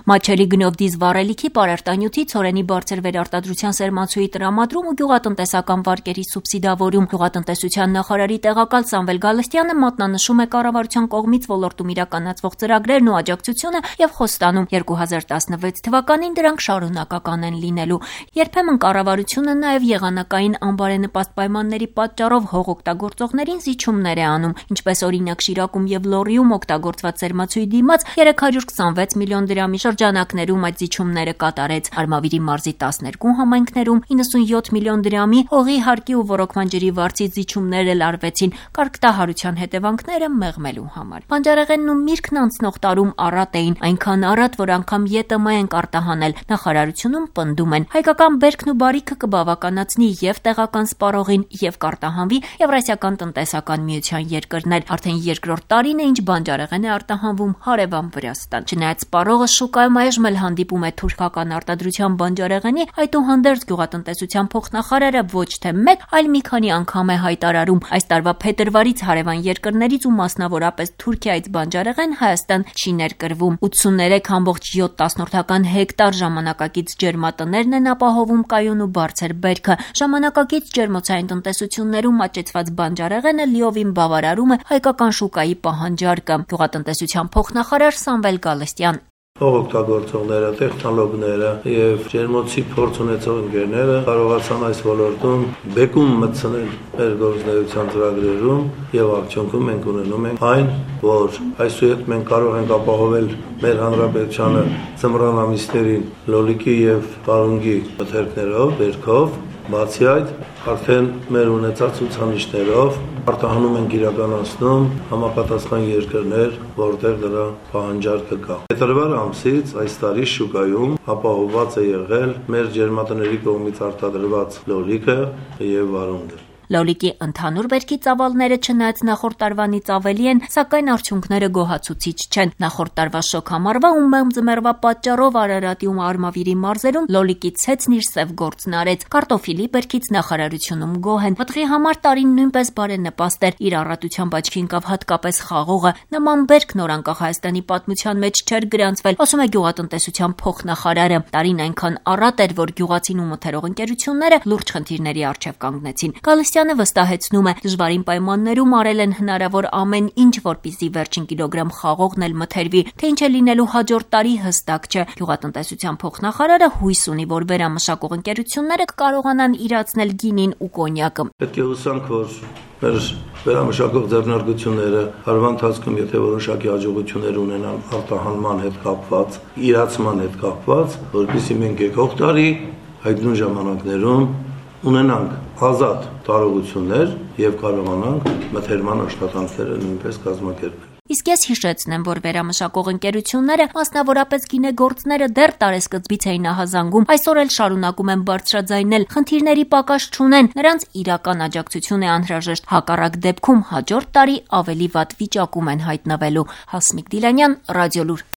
Մատչելի գնով դիզ վառելիքի պարարտանյութի, ցորենի բարձր վերարտադրության սերմացուի տրամադրում ու գյուղատնտեսական վարկերի սուբսիդավորում։ Գյուղատնտեսության նախարարի տեղակալ Սամվել Գալստյանը մատնանշում է կառավարության կողմից ոլորտում իրականացվող ծրագրերն ու աջակցությունը եւ խոստանում 2016 թվականին դրանք շարունակական են լինելու։ Երբեմն կառավարությունը նաեւ եղանակային անբարենպաստ պայմանների պատճառով հող օգտագործողներին զիջումներ է անում, ինչպես օրինակ Շիրակում եւ Լոռիում օգտագործված սերմացուի դիմաց 326 միլիոն դրամի շրջանակներում այդ զիջումները կատարեց։ Արմավիրի մարզի 12 համայնքներում 97 միլիոն դրամի հողի հարկի ու ոռոգման ջրի վարձի զիջումներ էլ արվեցին կարգտահարության հետևանքները մեղմելու համար։ Բանջարեղենն ու միրգն անցնող տարում առատ էին, այնքան առատ, որ անգամ ԵՏՄ են կարտահանել։ Նախարարությունում պնդում են, հայկական բերքն ու բարիքը կբավականացնի եւ տեղական սպառողին եւ կարտահանվի Եվրասիական տնտեսական միության երկրներ։ Արդեն երկրորդ տարին է, ինչ բանջարեղեն է արտահանվում հարևան Վրաստան։ Չնայած սպառողը շուկայում այժմ էլ հանդիպում է թուրքական արտադրության բանջարեղենի, այդուհանդերձ գյուղատնտեսության փոխնախարարը ոչ թե մեկ, այլ մի քանի անգամ է հայտարարում, այս տարվա փետրվարից հարևան երկրներից ու մասնավորապես Թուրքիայից բանջարեղեն Հայաստան չի ներկրվում։ 83.7 հեկտար ժամանակակից ջերմատներն են ապահովում կայուն ու բարձր բերքը։ Ժամանակակից ջերմոցային տնտեսություններում աճեցված բանջարեղենը լիովին բավարարում է հայկական շուկայի պահանջարկը։ Գյուղատնտեսության փոխնախարար Սամվել Գալստյան Հող օգտագործողները, տեխնոլոգները եւ ջերմոցի փորձ ունեցող ընկերները կարողացան այս ոլորտում բեկում մտցնել մեր գործունեության ծրագրերում եւ արդյունքում մենք ունենում ենք այն, որ այսուհետ մենք կարող ենք ապահովել մեր հանրապետությանը ձմռան ամիսներին լոլիկի եւ պարունգի մթերքներով, բերքով, բացի այդ արդեն մեր ունեցած ցուցանիշներով արտահանում ենք իրականացնում համապատասխան երկրներ, որտեղ դրա պահանջարկը կա։ Փետրվար ամսից այս տարի շուկայում ապահովված է եղել մեր ջերմատների կողմից արտադրված լոլիկը եւ վարունգը։ Լոլիկի ընդհանուր բերքի ծավալները չնայած նախորդ տարվանից ավելի են, սակայն արդյունքները գոհացուցիչ չեն։ Նախորդ տարվա շոգ համարվա ու մեղմ ձմեռվա պատճառով Արարատի ու Արմավիրի մարզերում լոլիկի ցեցն իր սև գործն արեց։ Կարտոֆիլի բերքից նախարարությունում գոհ են։ Մտղի համար տարին նույնպես բարենպաստ էր։ Իր առատությամբ աչքի ընկավ հատկապես խաղողը։ Նման բերք նոր անկախ Հայաստանի պատմության մեջ չէր գրանցվել, ասում է գյուղատնտեսության փոխնախարարը։ Տարին այնքան առատ էր, որ գյուղացին ու մթերող ընկերությունները լուրջ խնդիրների առջև կանգնեցին։ Գալստյանը վստահեցնում է, դժվարին պայմաններում արել են հնարավոր ամեն ինչ, որպեսզի վերջին կիլոգրամ խաղողն էլ մթերվի, թե ինչ է լինելու հաջորդ տարի հստակ չէ։ Գյուղատնտեսության փոխնախարարը հույս ունի, որ վերամշակող ընկերությունները կկարողանան իրացնել գինին ու կոնյակը։ Պետք է հուսանք, որ մեր վերամշակող ձեռնարկությունները հարվա ընթացքում եթե որոշակի հաջողություններ ունենան արտահանման հետ կապված, իրացման հետ կապված, որպեսզի մենք եկող տարի այդ նույն ժամանակներում ունենանք ազատ տարողություններ եւ կարողանանք մթերման աշխատանքները նույնպես կազմակերպել։ Իսկ ես հիշեցնեմ, որ վերամշակող ընկերությունները, մասնավորապես գինեգործները դեռ տարեսկզբից էին ահազանգում, այսօր էլ շարունակում են բարձրաձայնել, խնդիրների պակաս չունեն, նրանց իրական աջակցություն է անհրաժեշտ, հակառակ դեպքում հաջորդ տարի ավելի վատ վիճակում են հայտնվելու։ Հասմիկ Դիլանյան, Ռադիոլուր։